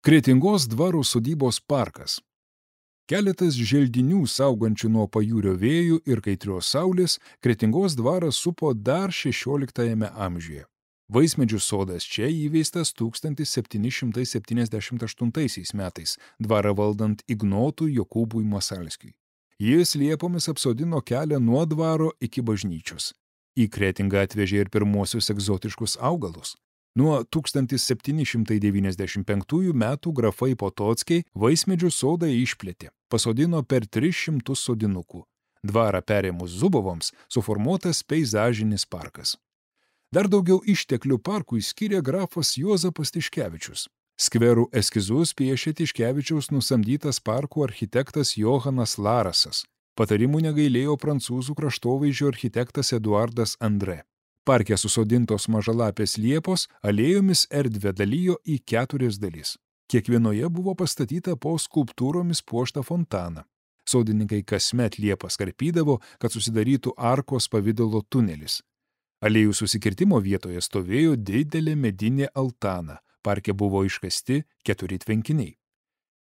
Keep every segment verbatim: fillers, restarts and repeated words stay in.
Kretingos dvaro sodybos parkas. Keletas želdinių saugančių nuo pajūrio vėjų ir kaitrios saulės Kretingos dvarą supo dar šešioliktajame amžiuje. Vaismedžių sodas čia įveistas tūkstantis septyni šimtai septyniasdešimt aštuntaisiais metais, dvarą valdant Ignotui Jokūbui Masalskiui. Jis liepomis apsodino kelią nuo dvaro iki bažnyčios. Į Kretingą atvežė ir pirmosius egzotiškus augalus. Nuo tūkstantis septyni šimtai devyniasdešimt penktųjų metų grafai Potockiai vaismedžių sodą išplėtė, pasodino per tris šimtus sodinukų. Dvarą perėmus Zubovoms suformuotas peizažinis parkas. Dar daugiau išteklių parkui skyrė grafas Juozapas Tiškevičius. Skverų eskizus piešė Tiškevičiaus nusamdytas parkų architektas Johanas Larasas. Patarimų negailėjo prancūzų kraštovaizdžio architektas Eduardas Andrė. Parke susodintos mažalapės liepos alėjomis erdvę dalijo į keturias dalis. Kiekvienoje buvo pastatyta po skulptūromis puoštą fontaną. Sodininkai kasmet liepas karpydavo, kad susidarytų arkos pavidalo tunelis. Alėjų susikirtimo vietoje stovėjo didelė medinė altana. Parke buvo iškasti keturi tvenkiniai.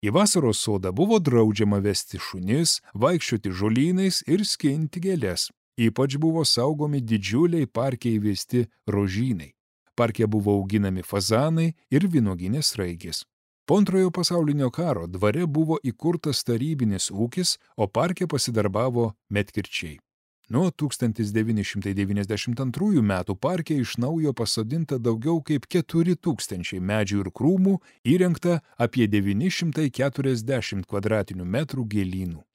Į vasaros sodą buvo draudžiama vesti šunis, vaikščioti žolynais ir skinti gėles. Ypač buvo saugomi didžiuliai parke įvesti rožynai. Parke buvo auginami fazanai ir vynuoginės sraigės. Po antrojo pasaulinio karo dvare buvo įkurtas tarybinis ūkis, o parke pasidarbavo medkirčiai. Nuo tūkstantis devyni šimtai devyniasdešimt antrųjų metų parke iš naujo pasodinta daugiau kaip keturi tūkstančiai medžių ir krūmų, įrengta apie devyni šimtai keturiasdešimt kvadratinių metrų gėlynų.